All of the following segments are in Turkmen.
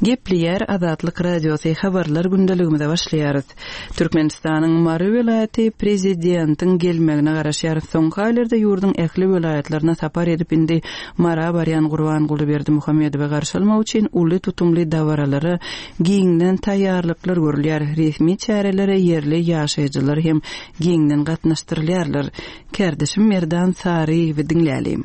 Gepleýär Azatlyk Radiosy habarlar gündeligimize başlaýarys. Türkmenistanyň Mary welaýaty prezidentiň gelmegine garaşýar. Soňky aýlarda ýurduň ähli welaýatlaryna sapar edip indi Mara barýan Gurbanguly Berdimuhamedowy garşy almak üçin uly tutumly dabaralara giňden taýýarlyklar görülýär. Resmi çärelere ýerli ýaşaýjylar hem giňden gatnaşdyrylýarlar. Kärdeşim Merdan Saryýewi diňläliň.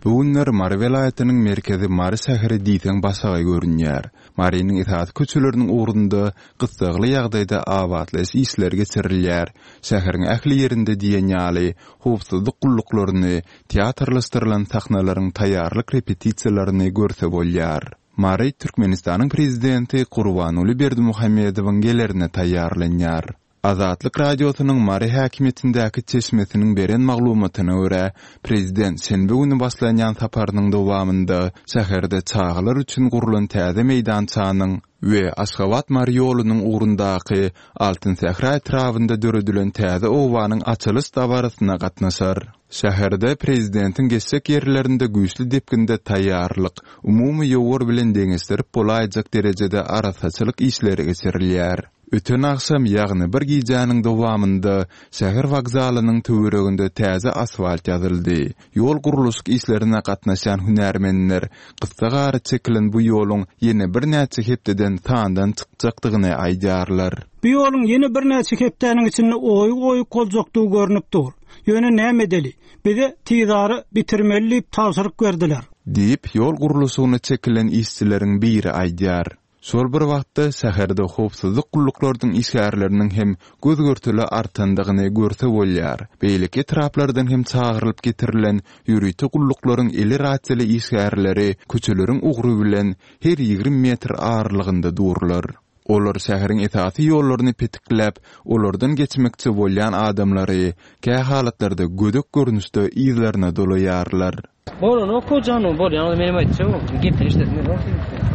Bu günler Mary welaýatynyň merkezi Mary şäheri diýseň başagaý görünýär. Marynyň esasy köçeleriniň ugrunda gyssagly ýagdaýda abatlaýyş işleri geçirilýär. Şäheriň ähli ýerinde diýen ýaly howpsuzlyk gulluklaryny, teatrlaşdyrylan sahnalaryň taýýarlyk repetisiýalaryny görse bolýar. Mary Türkmenistanyň Prezidenti Gurbanguly Berdimuhamedowyň gelerine taýýarlanýar. Azatlyk Radiosynyň Mary häkimiýetindäki çeşmesiniň beren maglumatyna görä, prezident şenbe güni başlanýan saparynyň dowamynda şäherde çagalar üçin gurlan täze meýdançanyň we Aşgabat-Mary ýolunyň ugrundaky Altyn sähra etrabynda döredilen täze obanyň açylyş dabarasyna gatnaşar. Şäherde prezidentiň geçjek ýerlerinde güýçli depginde taýýarlyk, umumy ýowar bilen deňeşdirip bolaýjak derejede arassaçylyk işleri geçirilýär. Öten agşam, ýagny bir gijäniň dowamynda şäher wokzalynyň töwereginde täze asfalt ýazyldy. Ýol gurluşyk işlerine gatnaşýan hünärmenler gyssagara çekilen bu ýoluň ýene birnäçe hepdeden sandan çykjakdygyny aýdýarlar. Bu ýoluň ýene birnäçe hepdäniň içinde oýuk-oýuk boljakdygy görnüp dur. Ýöne näme edeli? Bize tizara bitirmeli diýip tabşyryk berdiler. Diýip, ýol gurluşygyna çekilen işçileriň biri aýdýar. Şol bir wagtda, şäherde howpsuzlyk gulluklarynyň işgärleriniň hem göz-görtele artandygyny görse bolýar. Beýleki etraplardan hem çagyrylyp getirilen ýörite gulluklaryň eli rasiýaly işgärleri köçeleriň ugry bilen her 20 metr aralygynda durlar. Olar şäheriň esasy ýollaryny petikläp, olardan geçmekçi bolýan adamlary, kähalatlarda gödek görnüşde yzlaryna dolaýarlar. Bolanok o janyň bolýan menem aýtjagym gepini eşidesim gelenok sebitde.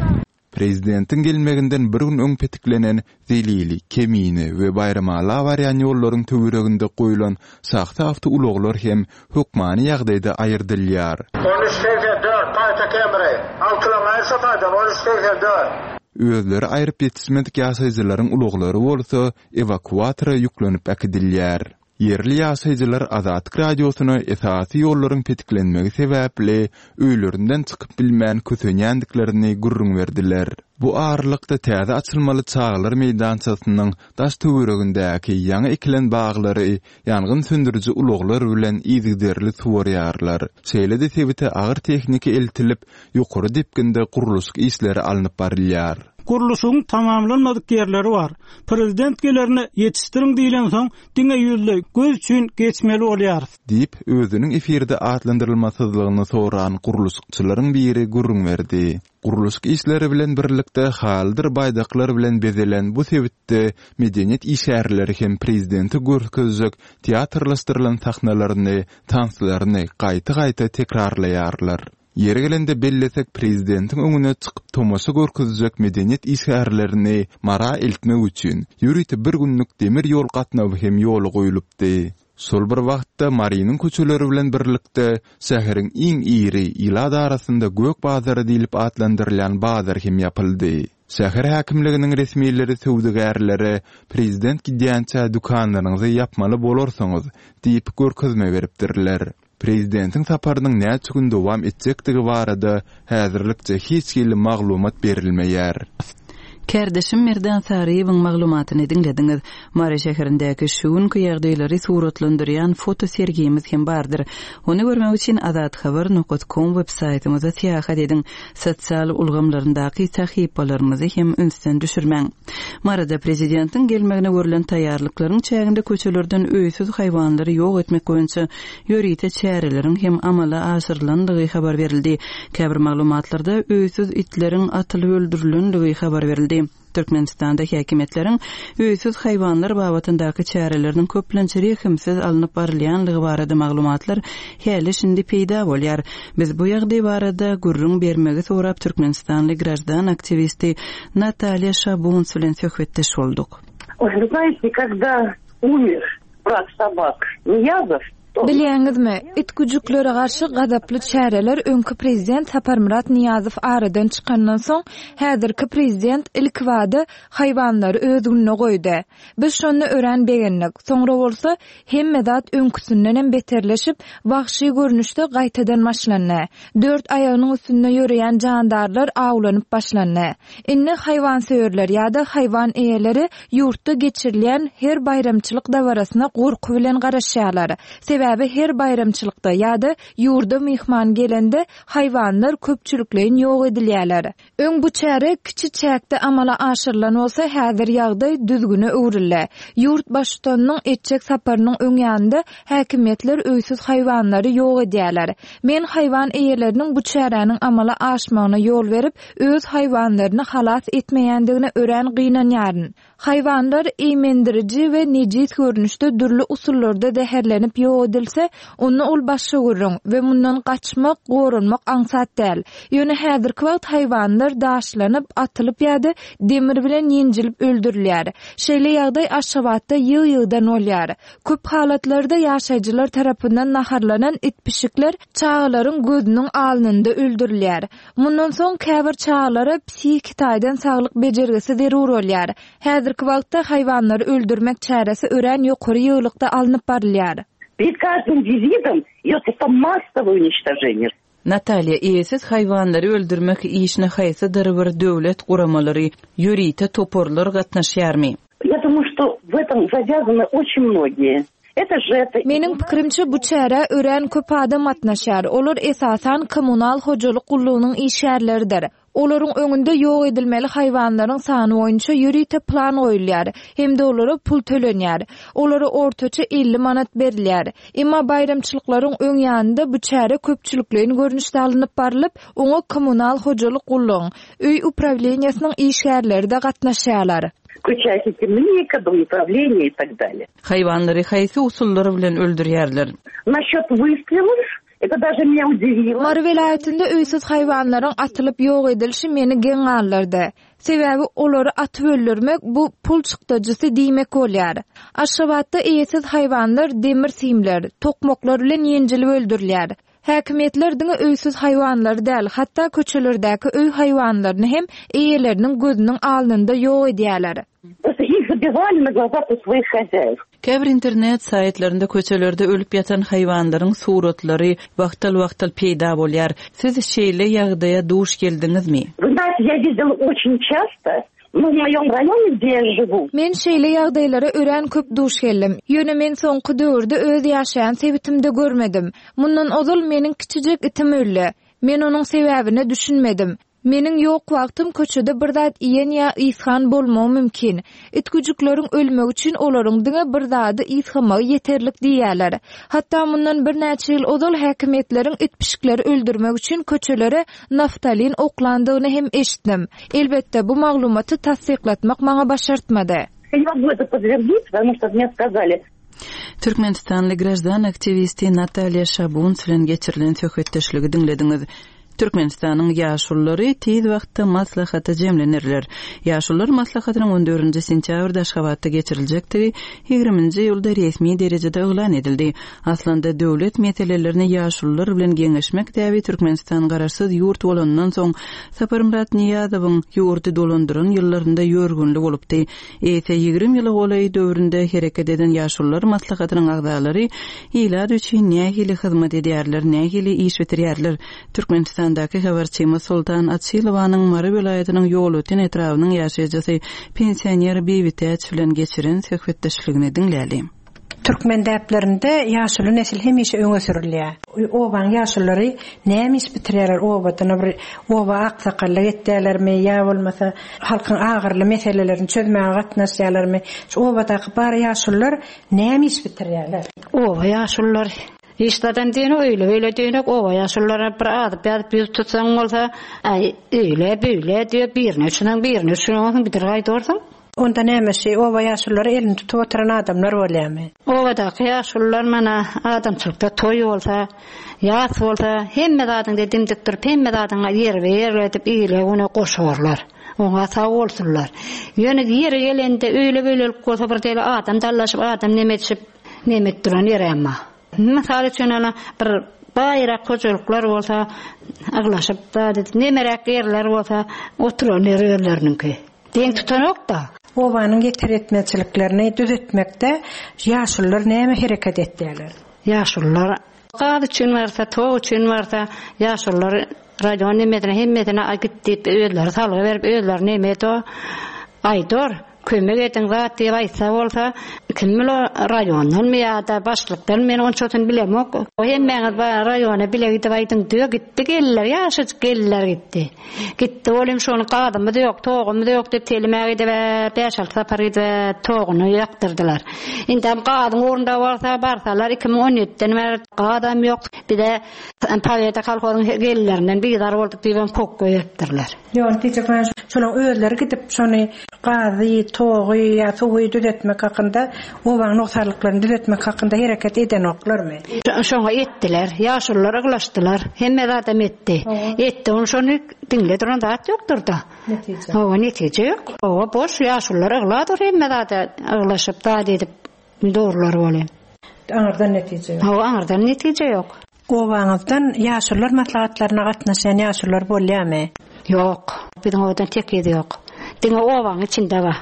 Prezidentiň gelmeginden bir gün öň petiklenen Zelili, Kemine we Baýramala barýan ýollaryň töwereginde goýlan şahsy awtoulaglar hem hökmany ýagdaýda aýyrdylýar. 13 84 Paýta Kemri, altylaň aýyrsa taýdan 13 84. Özleri aýryp ýetişmedik ýaşaýjylaryň ulaglary bolsa ewakuatora ýüklenip äkidilýär. Ýerli ýaşaýjylar Azatlyk Radiosyna esasy ýollaryň petiklenmegi sebäpli öýlerinden çykyp bilmän kösenýändiklerini gürrüň berdiler. Bu aralykda täze açylmaly çagalar meýdançasynyň daş-töweregindäki ýaňy ekilen baglary ýangyn söndüriji ulaglar bilen yzygiderli suwarýarlar. Şeýle-de sebite agyr tehnika eltilip, ýokary depginde gurluşyk işleri alnyp barylýar. Gurluşygyň tamamlanmadyk ýerleri bar. Prezident gelerine ýetişdiriň diýlensoň, diňe ýüzleý, göz üçin geçmeli bolýarys. Diýip, özüniň efirde atlandyrylmasyzlygyny soran gurluşykçylaryň biri gürrüň berdi. Gurluşyk işleri bilen birlikde halydyr baýdaklar bilen bezelen bu sebitde medeniýet işgärleri hem prezidente görkezjek teatrlaşdyrylan sahnalaryny, tanslaryny gaýta-gaýta tekrarlaýarlar. Ýeri gelende bellesek, prezidentiň öňüne çykyp tomaşa görkezjek medeniýet işgärlerini Mara eltmek üçin, ýörite bir günlük demir ýol gatnawy hem ýola goýlupdy. Şol bir wagtda, Marynyň köçeleri bilen birlikde, şäheriň iň iri, ilat arasynda Gök bazary diýlip atlandyrylýan bazar hem ýapyldy. Şäher häkimliginiň resmileri söwdagärlere prezident gidýänçä dükanlaryňyzy ýapmaly bolarsyňyz diýip görkezme beripdirler. Prezidentiň saparynyň näçe gün dowam etjekdigi barada häzirlikçe hiç hili maglumat berilmeýär. Kärdeşim Merdan Saryýewiň maglumatyny diňlediňiz. Mary şäherindäki şu günki ýagdaýlary suratlandyrýan foto sergimiz hem bardyr. Ony görmek üçin azathabar nokat kom web saýtymyza syýahat ediň. Sosial ulgamlaryndaky sahypalarymyzy hem ünsden düşürmäň. Maryda prezidentiň gelmegine görlen taýýarlyklaryň çäginde köçelerden öýsüz haýwanlary ýok etmek boýunça ýörite çäreleriň hem amala aşyrylandygy habar berildi. Käbir maglumatlarda öýsüz itleriň atylyp öldürilenligi habar berildi. Türkmenistanda häkimiýetleriň öýsüz haýwanlar babatyndaky çäreleriniň köplenç rehimsiz alnyp barylýanlygy barada maglumatlar häli-şindi peýda bolýar. Biz bu ýagdaý barada gürrüň bermegi sorap türkmenistanly graždan aktiwisti Natalýa Şabuns bilen söhbetdeş bolduk. Вы знаете, когда умер брат собак Ниязов, Bilýäňizmi, it-güjüklere garşy gazaply çäreler öňki prezident Saparmyrat Nyýazow aradan çykandan soň, häzirki prezident ilkibada haýwanlary öz gününe goýdy. Biz şonda örän begendik. Soňra bolsa, hemme zat öňküsindenem beterleşip, wagşy görnüşde gaýtadan başlandy. Dört aýagynyň üstünde ýöreýän jandarlar awlanyp başlandy. Indi haýwansöýerler ýa-da haýwan eýeleri ýurtda geçirilýän her baýramçylyk dabarasyna gorky bilen garaşýarlar. Sebäbi her baýramçylykda ýa-da ýurda myhman gelende haýwanlar köpçülikleýin ýok edilýärler. Öň bu çäre kiçi çäkde amala aşyrylan bolsa, häzir ýagdaý düzgüne öwrüldi. Ýurt baştutanynyň etjek saparynyň öň ýanynda häkimiýetler öýsüz haýwanlary ýok edýärler. Men haýwan eýeleriniň bu çäräniň amala aşmagyna ýol berip, öz haýwanlaryny halas etmeýändigine örän gynanýaryn. Haýwanlar eýmendiriji we nejis görnüşde dürli usullarda zäherlenip ýok edilse, onda ol başga gürrüň we mundan gaçmak, goranmak aňsat däl. Ýöne häzirki wagt haýwanlar daşlanyp, atylyp ýa-da demir bilen ýenjilip öldürilýär. Şeýle ýagdaý Aşgabatda ýygy-ýygydan bolýar. Köp halatlarda ýaşaýjylar tarapyndan naharlanan it-pişikler çagalaryň gözüniň alnynda öldürilýär. Mundan soň käbir çagalara psihiki taýdan saglyk bejergisi zerur bolýar. Häzirki wagtda haýwanlary öldürmek çäresi örän ýokary ýygylykda alnyp barylýar. Перед каждым визитом идет просто массовое уничтожение. Natalýa, eýesiz haýwanlary öldürmek işine haýsydyr bir döwlet guramalary, ýörite toparlar gatnaşýarmy? Ya dumаю, что в этом zawýazany oçin mnogiýe. Meniň pikirimçe, bu çärä örän köp adam gatnaşýar. Olar, esasan, kommunal hojalyk gullugynyň işgärleridir. Olaryň öňünde ýok edilmeli haýwanlaryň sany boýunça ýörite plan goýulýar hem-de olara pul tölenýär. Olara ortaça 50 manat berilýär. Emma baýramçylyklaryň öň ýanynda bu çäre köpçülikleýin görnüşde alnyp barlyp, oňa kommunal hojalyk gullugyň, öý uprawleniýesiniň işgärleri-de gatnaşýarlar. Включая химника, домоуправление и так далее. Haýwanlary haýsy usullar bilen öldürýärler? Насчет выстрелов, это даже меня удивило. Mary welaýatynda öýsüz haýwanlaryň atylyp ýok edilişi meni geň galdyrdy. Sebäbi olary atyp öldürmek bu pul çykdajysy diýmek bolýar. Aşgabatda eýesiz haýwanlar demir simler, tokmaklar bilen ýenjilip öldürilýär. Häkimiýetler diňe öýsüz haýwanlary däl, hatda köçelerdäki öý haýwanlaryny hem eýeleriniň gözüniň alnynda ýok edýärler. Käbir internet saýtlarynda köçelerde ölüp ýatan haýwanlaryň suratlary wagtal-wagtal peýda bolýar. Siz şeýle ýagdaýa duş geldiňizmi? Nu, w moýom raýone, gde ýa žiwu. Men şeýle ýagdaýlara örän köp duş geldim. Ýöne men soňky döwürde öz ýaşaýan sebitimde görmedim. Mundan ozal meniň kiçijek itim öldi. Men onuň sebäbine düşünmedim. Meniň ýok wagtym köçede bir zat iýen ýa ysgan bolmagy mümkin. It-güjükleriň ölmegi üçin olaryň diňe bir zady ysgamagy ýeterlik diýýärler. Hatda mundan birnäçe ýyl ozal häkimiýetleriň it-pişikleri öldürmek üçin köçelere naftalin oklandygyny hem eşitdim. Elbetde, bu maglumaty tassyklatmak maňa başartmady. Ya ne mogu eto podtverdit, potomu çto mne skazali. Türkmenistanly graždan aktiwisti Natalýa Şabunts bilen geçirilen söhbetdeşligi diňlediňiz. Türkmenistanyň ýaşululary tiz wagtda maslahata jemlenerler. Ýaşulular maslahatynyň on dördünji sentýabrda Aşgabatda geçiriljekdigi ýigriminji iýulda resmi derejede yglan edildi. Aslynda döwlet meselelerini ýaşulular bilen geňeşmek däbi Türkmenistan garaşsyz ýurt bolanyndan soň Saparmyrat Nyýazowyň ýurdy dolandyran ýyllarynda ýörgünli bolupdy. Eýse 20 ýyla golaý döwründe hereket eden Ýaşulular maslahatynyň agzalary ilat üçin nähili hyzmat edýärler, nähili iş bitirýärler? Türkmenistandaky habarçymyz Soltan Açylowanyň Mary welaýatynyň Ýolöten etrabynyň ýaşaýjysy, pensioner Bibitäç bilen geçiren söhbetdeşligini diňläli. Türkmen däplerinde ýaşuly nesil hemişe öňe sürülýär. Obanyň ýaşululary näme iş bitirýärler obada bir oba aksakgallyk etýärlermi ýa bolmasa halkyň agyrly meselelerini çözmäge gatnaşýarlarmy? Şu obadaky bar ýaşulular näme iş bitirýärler? Oba ýaşululary hiç zadam diýenok öýle-beýle diýenok oba ýaşulularyna bir azyp-ýazyp ýüz tutsaň bolsa aý öýle-beýle diýip birine üçüneň birine üçüneňsoň bidir gaýdarsyň. Onda näme şi oba ýaşululary elini tutup oturan adamlar bolýamy? Obadaky ýaşulular mana adamçylykda toý bolsa, ýas bolsa hemme zadyňda dimdik durup hemme zadyňa ýerbe ýer edip ile-güne goşarlar. Oňa sag bolsunlar. Ýöne ýeri gelende öýle-beýlelik bolsa bir deli adam dallaşyp adam neme edişip neme edip duran ýerem bar. Mysal üçin ana bir baýrak hojalyklar bolsa yglaşyp zat edip, nemeräk ýerler bolsa oturan ýeri özleriniňki. Deň tutanok-da. Obanyň ýeter-ýetmezçiliklerini düzetmekde ýaşulular näme hereket etýärler? Ýaşulular gaz üçin barsa, tok üçin barsa, ýaşulular raýon nemesine hemmesine a git diýip özleri salgy berip özleri neme edo aýdor, kömek ediň zat diýip aýtsa bolsa, kim bil o raýondanmy ýa-da başlykdanmy men onçasyny bilemok. Hemmäňiz raýona bile gidip aýdyň diýip gitdi geldiler ýaşajyk geldiler gitdi. Gitdi olim şony gazymyz ýok, togumyz ýok diýip telimä gidip-ä bäş-alty sapar gidip-ä toguny ýakdyrdylar. Indem gazyň ugrunda bolsa barsalar 2017-den bäri gazam ýok. Bize Pobeda kolhozyň gelinlerinden bizar bolduk diýibem kok goýberipdirler. Ýok, diýjek bolýan şolaň özleri gidip şony gazy, togy ýa suwy düzetmek hakynda obaň nogsanlyklaryny düzetmek hakynda hereket edenoklarmy? Şoňa etdiler. Ýaşulular yglaşdylar. Hemme zadam etdi. Etdi. Ony şony diňle duran zat ýokdur-da. Netije. Hawa, netije ýok. Oba boş, ýaşulular ygla dur hemme zada yglaşyp, zat edip durlar welin. Aňyrdan netije ýok. Hawa, aňyrdan netije ýok. Obaňyzdan ýaşulular maslahatlaryna gatnaşýan ýaşulular bolýamy? Ýok. Biziň obadan tekiz ýok. Diňe obaň içinde bar.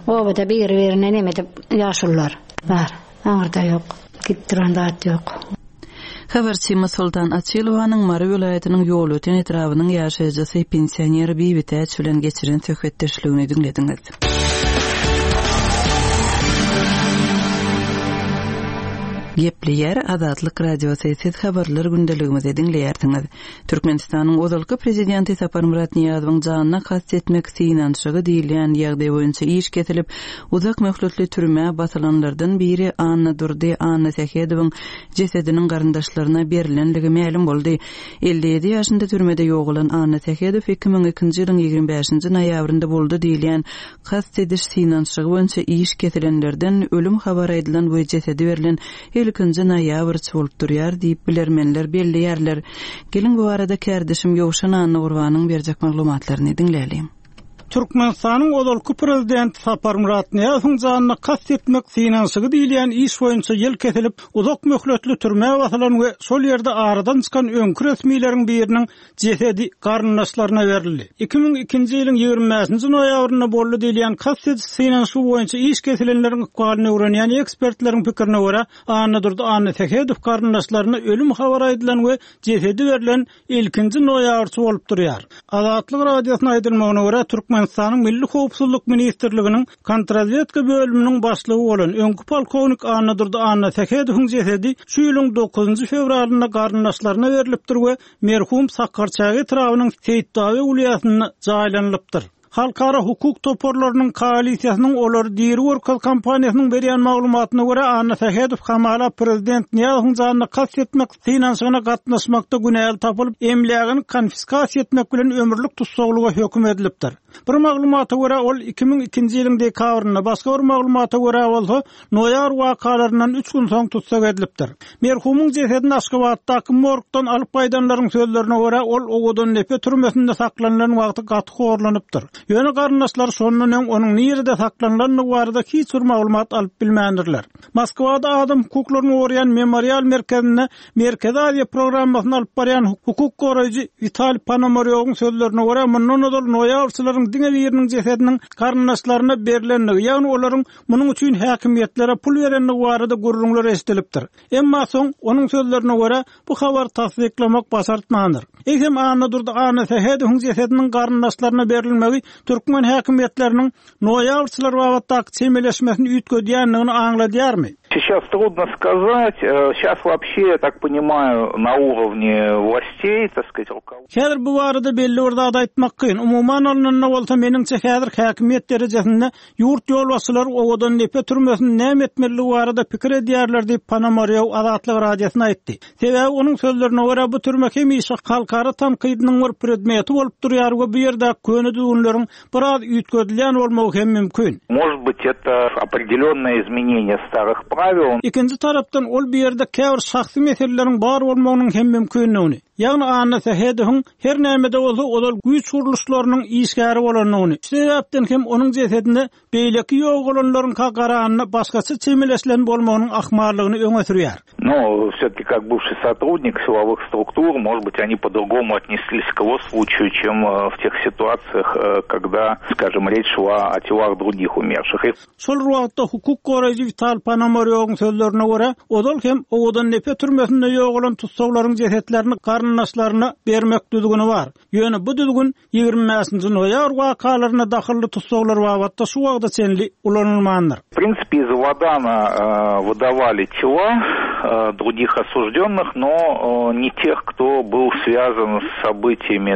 Obada biri-birine neme edip ýaşulular bar. Aňyrda ýok. Gidip duran zat ýok. Habarçymyz Soltan Açylowanyň Mary welaýatynyň Ýolöten etrabynyň ýaşaýjysy, pensioner Bibitäç bilen geçiren söhbetdeşligini diňlediňiz. Gepleýär Azatlyk Radiosy, siz habarlar gündeligimizi diňleýärsiňiz. Türkmenistanyň ozalky prezidenti Saparmyrat Nyýazowyň janyna kast etmek synanyşygy diýilýän ýagdaý boýunça iş kesilip, uzak möhletli türmä basylanlardan biri Annadurdy Annasähedowyň jesediniň garyndaşlaryna berlenligi mälim boldy. 57 ýaşynda türmede ýogalan Annasähedow 2002-nji ýylyň 25-nji noýabrynda boldy diýilýän kast ediş synanyşygy boýunça iş kesilenlerden ölüm habary aýdylan we jesedi berlen ilkinji noýabrçy bolup durýar diýip, bilermenler belleýärler. Geliň, bu barada kärdeşim Ýowşan Annagurbanyň berjek maglumatlaryny diňläliň. Türkmenistanyň ozalky prezidenti Saparmyrat Nyýazowyň janyna kast etmek synanyşygy diýilýän iş boýunça ýyl kesilip, uzak möhletli türmä basylan we şol ýerde aradan çykan öňki resmileriň biriniň jesedi garyndaşlaryna berildi. 2002-nji ýylyň 25-nji noýabrynda boldy diýilýän kast ediş synanyşygy boýunça iş kesilenleriň ykbalyny öwrenýän ekspertleriň pikirine görä, Annadurdy Annasähedow garyndaşlaryna ölüm habary aýdylan we jesedi berlen ilkinji noýabrçy bolup durýar. Azatlyk Radiosyna aýdylmagyna görä, Türkmenistanyň Milli howpsuzlyk ministrliginiň Kontrazwedka bölüminiň başlygy bolan öňki polkownik Annadurdy Annasähedowyň jesedi şu ýylyň dokuzynjy fewralynda garyndaşlaryna berlipdir we merhum Sakarçäge etrabynyň Seýitdawe wülýasynda jaýlanylypdyr. Halkara hukuk toparlarynyň koalisiýasynyň Olary diri görkez kampaniýasynyň berýän maglumatyna görä, Annasähedow hamala prezident Nyýazowyň janyna kast etmek synanyşygyna gatnaşmakda günäli tapylyp, emlägini konfiskasiýa etmek bilen ömürlik tussaglyga höküm edilipdir. Bir maglumata görä, ol 2002-nji ýylyň dekabrynda, başga bir maglumata görä bolsa, Noýabr wakalaryndan üç gün soň tussag edilipdir. Merhumyň jesedini Aşgabatdaky morgdan alyp gaýdanlaryň sözlerine görä, ol Owadandepe türmesinde saklanylan wagty gaty horlanypdyr. Ýöne garyndaşlary şondan öň onuň nirede saklanylandygy barada hiç bir maglumat alyp bilmändirler. Moskwada adam hukuklaryny goraýan Memorial merkezinde Merkezi Aziýa programmasyny alyp barýan hukuk goraýjy Witaliý Ponomarýowyň sözlerine görä, mundan ozal noýabrçylaryň diňe biriniň jesediniň garyndaşlaryna berlendigi, ýagny olaryň munuň üçin häkimiýetlere pul berendigi barada gürrüňler eşidilipdir. Emma soň, onuň sözlerine görä, bu habary tassyklamak başartmandyr. Eýsem, Annadurdy Annasähedowyň jesediniň garyndaşlaryna berilmegi türkmen häkimiýetleriniň noýabrçylar babatdaky çemeleşmesini üýtgedýändigini aňladýarmy? Сейчас трудно сказать. Сейчас вообще, я так понимаю, на уровне властей, так сказать, руководства. Häzir bu barada belli bir zat aýtmak kyn. Umuman alnanda bolsa, meniňçe, häzir häkimiýet derejesinde Ýurt ýolbaşçylary Owadandepe türmesini näme etmelidigi barada pikir edýärler diýip, Ponomarýow Azatlyk Radiosyna aýtdy. Sebäbi, onuň sözlerine görä, bu türme hemişe halkara tankydynyň bir predmeti bolup durýar we bu ýerdäki köne düzgünleriň biraz üýtgedilýän bolmagy hem mümkin. Может быть, это определенное изменение старых правил. Ikinji tarapdan, ol bu ýerde käbir şahsy meseleleriň bar bolmagynyň hem mümkindigini. Ýagny Anna Sähedowyň her näme-de bolsa ozal güýç gurluşlarynyň işgäri bolandygyny, şu sebäpden hem onuň jesedine beýleki ýogalanlaryňka garanda başgaça çemeleşilen bolmagynyň ahmallygyny öňe sürýär. Ну, все-таки как бывший сотрудник силовых структур, может быть, они по-другому отнеслись к его случаю, чем в тех ситуациях, когда, скажем, речь шла о телах других умерших. Şol bir wagtda, hukuk goraýjy Wital Ponomarýowyň sözlerine görä, ozal hem Owadandepe türmesinde ýogalan tussaglaryň jesetlerini garyndaşlaryna bermek düzgüni bar. Ýöne bu düzgün 25-nji noýabr wakalaryna dahylly tussaglar babatda şu wagta çenli ulanylmandyr. W prinsipe iz Awadana wydawali tela drugih osujdennyh, no ne teh, kto byl swýazan s sobytiýami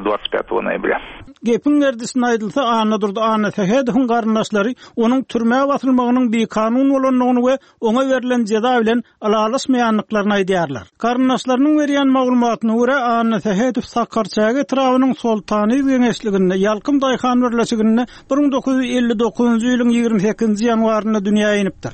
25 noýabrýa. Gepiň gerdişine aýdylsa, Annadurdy Annasähedowyň garyndaşlary onuň türmä basylmagynyň bikanun bolandygyny we oňa berlen jeza bilen ylalaşmaýandyklaryny aýdýarlar. Garyndaşlarynyň berýän maglumatyna görä, Annasähedow Sakarçäge etrabynyň Soltanyz geňeşliginde, Ýalkym daýhan birleşiginde 1959-njy ýylyň 28-nji ýanwarynda dünýä inipdir.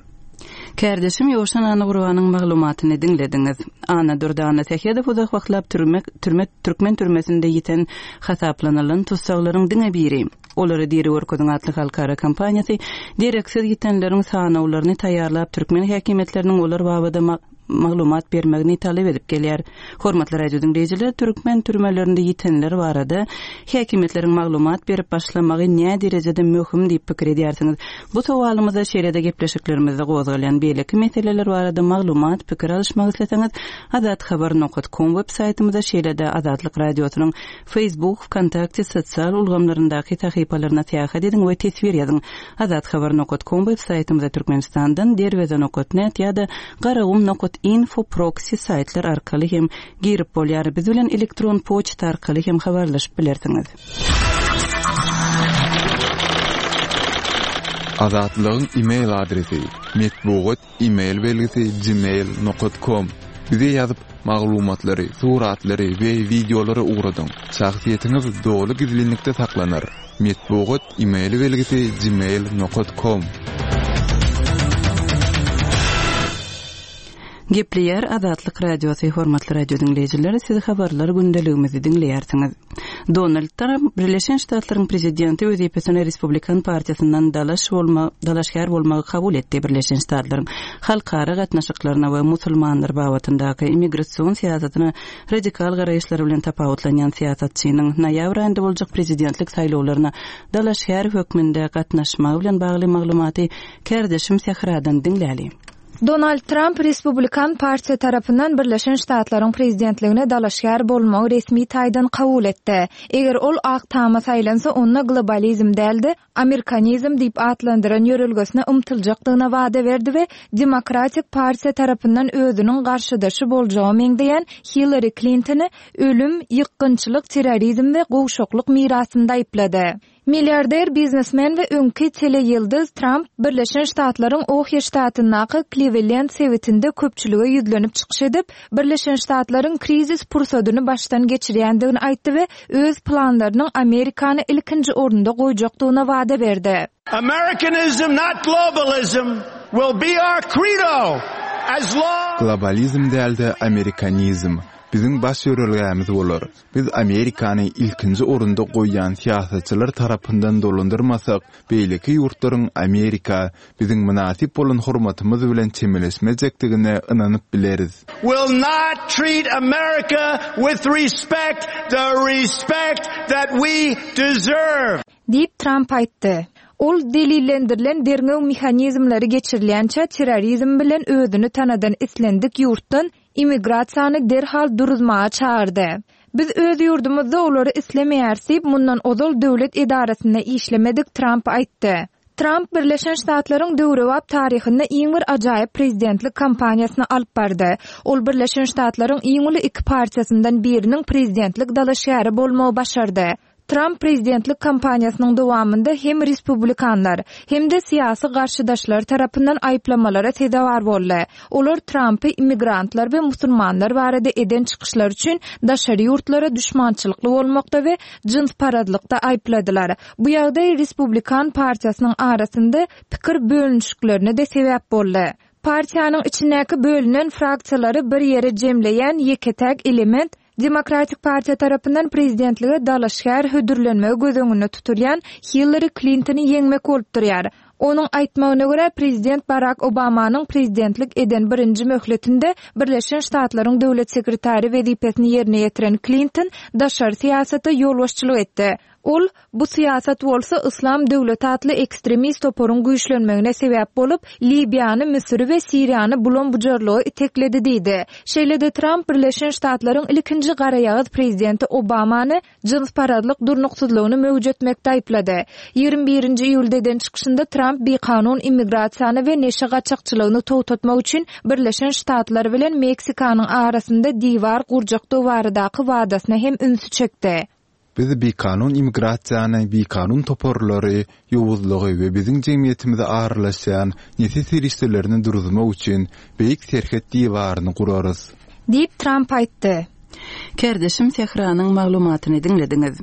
Kärdeşim Ýowşan Annagurbanyň maglumatyny diňlediňiz. Annadurdy Annasähedow uzak wagtlap türme türme türkmen türmesinde ýiten hasaplanylan tussaglaryň diňe biri. Olary diri görkeziň atly halkara kampaniýasy dereksiz ýitenleriň sanawlaryny taýýarlap, türkmen häkimiýetleriniň olar babada maglumat bermegini talap edip gelýär. Hormatly radio diňleýjiler, türkmen türmelerinde ýitenler barada häkimiýetleriň maglumat berip başlamagy näderejede möhüm diýip pikir edýärsiňiz? Bu sowalymyza şeýle-de gepleşiklerimizde gozgalýan beýleki meseleler barada maglumat, pikir alyşmak isleseňiz, azathabar nokat kom web saýtymyza şeýle-de Azatlyk Radiosynyň Facebook, Wkontakte sosial ulgamlaryndaky sahypalaryna syýahat ediň we teswir ýazyň. Azathabar nokat kom web saýtymyza Türkmenistandan Derweze nokat net ýa-da Garagum nokat info proksi saýtlar arkaly hem girip bolýar. Biz bilen elektron poçta arkaly hem habarlaşyp bilersiňiz. Azatlygyň e-mail adresi, metbugat E-mail belgisi gmail nokat kom Bize ýazyp, maglumatlary, suratlary we wideolary ugradyň. Şahsyýetiňiz doly gizlinlikde saklanar. Metbugat e-mail belgisi gmail nokat kom. Gepleýär Azatlyk Radiosy Hormatly radio diňleýjiler, siz habarlar gündeligimizi diňleýärsiňiz. Donald Tramp Birleşen Ştatlaryň prezidenti wezipesine Respublikan partiýasyndan dalaş bolma dalaşgär bolmagy kabul etdi. Birleşen Ştatlaryň halkara gatnaşyklaryna we musulmanlar babatyndaky immigrasion syýasatyna radikal garaýyşlary bilen tapawutlanýan syýasatçynyň noýabr aýynda boljak prezidentlik saýlawlaryna dalaşgär hökmünde gatnaşmagy bilen bagly maglumaty kärdeşim Sähradan diňläli. Donald Tramp Respublikan partiýa tarapyndan Birleşen Ştatlaryň prezidentligine dalaşgär bolmagy resmi taýdan kabul etdi. Eger ol Ak Tama saýlansa, onda globalizm däl-de, amerikanizm diýip atlandyran ýörelgesine ymtyljakdygyna wada berdi we Demokratik partiýa tarapyndan özüniň garşydaşy boljaga meňzeýän Hillari Klintony ölüm, ýykgynçylyk, terrorizm we gowşaklyk mirasynda aýyplady. Milliarder biznesmen we öňki teleýyldyz Tramp Birleşen Ştatlaryň Ohio ştatyndaky Kliwlend sebitinde köpçülige ýüzlenip çykyş edip, Birleşen Ştatlaryň krizis pursadyny başdan geçirýändigini aýtdy we öz planlarynyň Amerikany ilkinji orunda goýjakdygyna wada berdi. Americanism not globalism will be our credo as long. Globalizm däl-de amerikanizm biziň baş ýörelgämiz bolar. Biz Amerikany ilkinji orunda goýýan syýasatçylar tarapyndan dolandyrmasak, beýleki ýurtlaryň Amerika biziň mynasyp bolan hormatymyz bilen çemeleşmejekdigine ynanyp bileris. Will not treat America with respect, the respect that we deserve. Diýip, Tramp aýtdy. Ol delillendirilen derňew mehanizmleri geçirilýänçä terrorizm bilen özüni tanadan islendik ýurtdan immigrasiýany derhal duruzmaga çagyrdy. Biz öz ýurdumyzda olary islemeýäris diýip, mundan ozal döwlet edarasynda işlemedik Tramp aýtdy. Tramp Birleşen Ştatlaryň döwrebap taryhynda iň bir ajaýyp prezidentlik kampaniýasyny alyp bardy. Ol Birleşen Ştatlaryň iň uly iki partiýasyndan biriniň prezidentlik dalaşgäri bolmagy başardy. Tramp prezidentlik kampaniýasynyň dowamynda hem respublikanlar, hem-de syýasy garşydaşlary tarapyndan aýyplamalara sezewar boldy. Olar Trampy immigrantlar we musulmanlar barada eden çykyşlary üçin daşary ýurtlara duşmançylykly bolmakda we jynsparazlykda aýypladylar. Bu ýagdaý Respublikan partiýasynyň arasynda pikir bölünişiklerine-de sebäp boldy. Partiýanyň içindäki bölünen fraksiýalary bir ýere jemleýän ýeke-täk element. Demokratik partiýa tarapyndan prezidentlige dalaşgär hödürlenmegi göz öňünde tutulýan Hillari Klintony ýeňmek bolup durýar. Onuň aýtmagyna görä, prezident Barak Obamanyň prezidentlik eden birinji möhletinde Birleşen Ştatlaryň döwlet sekretary wezipesini ýerine ýetiren Klinton daşary syýasata ýolbaşçylyk etdi. Ol, Bu syýasat bolsa Yslam döwleti atly ekstremist toparyň güýçlenmegine sebäp bolup, Liwiýany, Müsüri we Siriýany bulam-bujarlyga itekledi diýdi. Şeýle-de Tramp Birleşen Ştatlaryň ilkinji garaýagyz prezidenti Obamany jynsparazlyk durnuksyzlygyny möwjetmekde aýyplady. 21 nji iýulda eden çykyşynda Tramp bikanun immigrasiýany we neşe gaçakçylygyny togtatmak üçin Birleşen Ştatlar bilen Meksikanyň arasynda diwar gurjakdygy baradaky wadasyna hem ünsi çekdi. Biz bikanun immigrasiýany, bikanun toparlary, ýowuzlygy we biziň jemgyýetimize aralaşýan neşe serişdelerini duruzmak üçin beýik serhet diwaryny gurarys. Diýip, Tramp aýtdy. Kärdeşim Sähranyň maglumatyny diňlediňiz.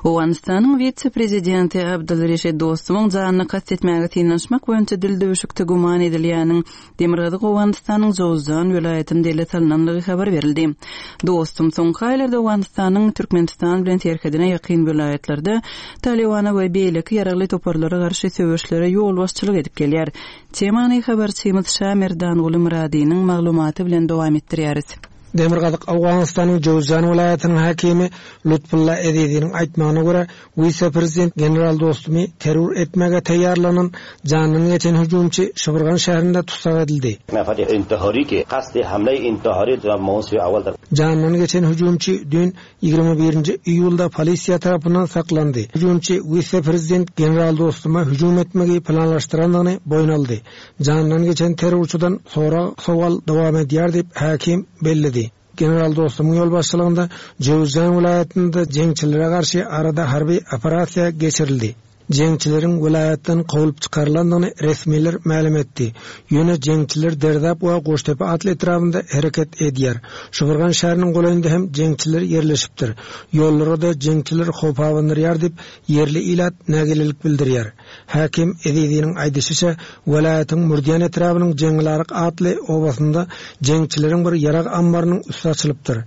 Owganystanyň wise-prezidenti Abdul Reşid Dostumyň janyna kast etmäge synanyşmak boýunça dildüwşükde güman edilýäniň Demirgazyk Owganystanyň Jowzjan welaýatynda ele salnandygy habar berildi. Dostum soňky aýlarda Owganystanyň Türkmenistan bilen serhedine ýakyn welaýatlarda Talybana we beýleki ýaragly toparlara garşy söweşlere ýolbaşçylyk edip gelýär. Temany habarçymyz Şamerdanguly Myradynyň maglumaty bilen dowam etdirýäris. Demirgazyk Owganystanyň Jöwüzjan welaýatynyň häkimi Lutfulla Eziziniň aýtmagyna görä, Wise-prezident general Dostumy terror etmäge taýýarlanan janyndan geçen hüjümçi Şybyrgan şäherinde tussag edildi. Janyndan geçen hüjümçi düýn, 21-nji iýulda polisiýa tarapyndan saklandy. Hüjümçi wise-prezident general Dostuma hüjüm etmegi planlaşdyrandygyny boýun aldy. Janyndan geçen terrorçydan sorag-sowal dowam edýär diýip, häkim belledi. General Dostumyň ýolbaşçylygynda Jöwüzjan welaýatynda jeňçilere garşy arada harby operasiýa geçirildi. Jeňçileriň welaýatdan kowlup çykarylandygyny resmiler mälim etdi. Ýöne jeňçiler Derdap we Goştepe atly etrabynda hereket edýär. Şybyrgan şäheriniň golaýynda hem jeňçiler ýerleşipdir. Ýollara-da jeňçiler howp abandyrýar diýip, ýerli ilat nägilelik bildirýär. Häkim Eziziniň aýdyşyça, welaýatyň Mürdiýan etrabynyň Jeňňilaryk atly obasynda jeňçileriň bir ýarag ammarynyň üsti açylypdyr.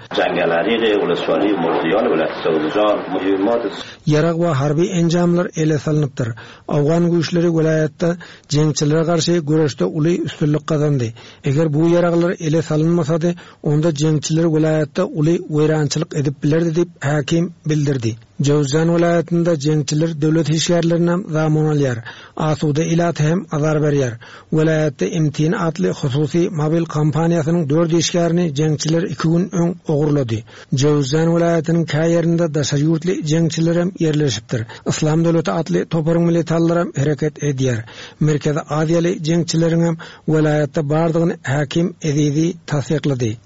Ýarag we harby enjamlar ele salnypdyr. Owgan güýçleri welaýatda jeňçilere garşy göreşde uly üstünlik gazandy. Eger bu ýaraglar ele salynmasady, onda jeňçiler welaýatda uly weýrançylyk edip bilerdi diýip, häkim bildirdi. Jöwüzjan welaýatynda jeňçiler döwlet işgärlerinem zamun alýar, asuda ilata hem azar berýär. Welaýatda MTN atly hususy mobil kompaniýasynyň dört işgärini jeňçiler iki gün öň ogurlady. Jöwüzjan welaýatynyň kä ýerinde daşary ýurtly jeňçilerem ýerleşipdir. Yslam döwleti atly toparyň militanlaram hereket edýär. Merkezi aziýaly jeňçileriňem welaýatda bardygyny häkim Ezizi tassyklady.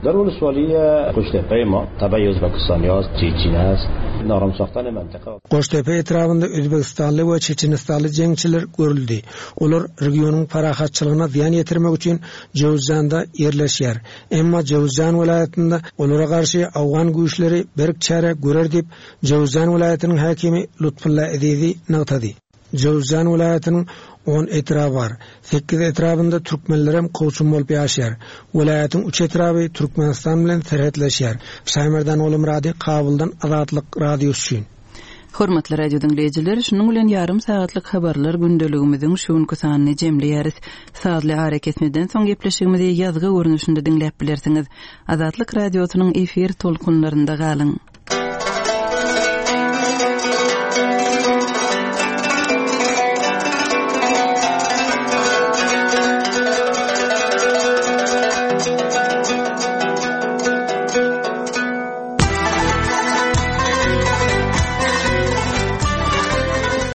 Goştepe etrabynda özbegistanly we çeçenistanly jeňçiler görüldi. Olar regionyň parahatçylygyna zyýan ýetirmek üçin Jöwüzjanda ýerleşýär. Emma Jöwüzjan welaýatynda olara garşy owgan güýçleri berk çäre görer diýip, Jöwüzjan welaýatynyň häkimi Lutfulla Ezizi nygtady. Jöwüzjan welaýatynyň on etraby bar. Sekiz etrabynda türkmenlerem kowçum bolup ýaşaýar. Welaýatyň üç etraby Türkmenistan bilen serhetleşýär. Şaýmerdan Ogulmyrady Kabuldan Azatlyk Radiosy üçin. Hormatly radio diňleýjiler, şunuň bilen ýarym sagatlyk habarlar gündeligimiziň şu günki sanyny jemleýäris. Sazly arakesmeden soň gepleşigimizi ýazgy görnüşinde diňläp bilersiňiz. Azatlyk Radiosynyň efir tolkunlarynda galyň!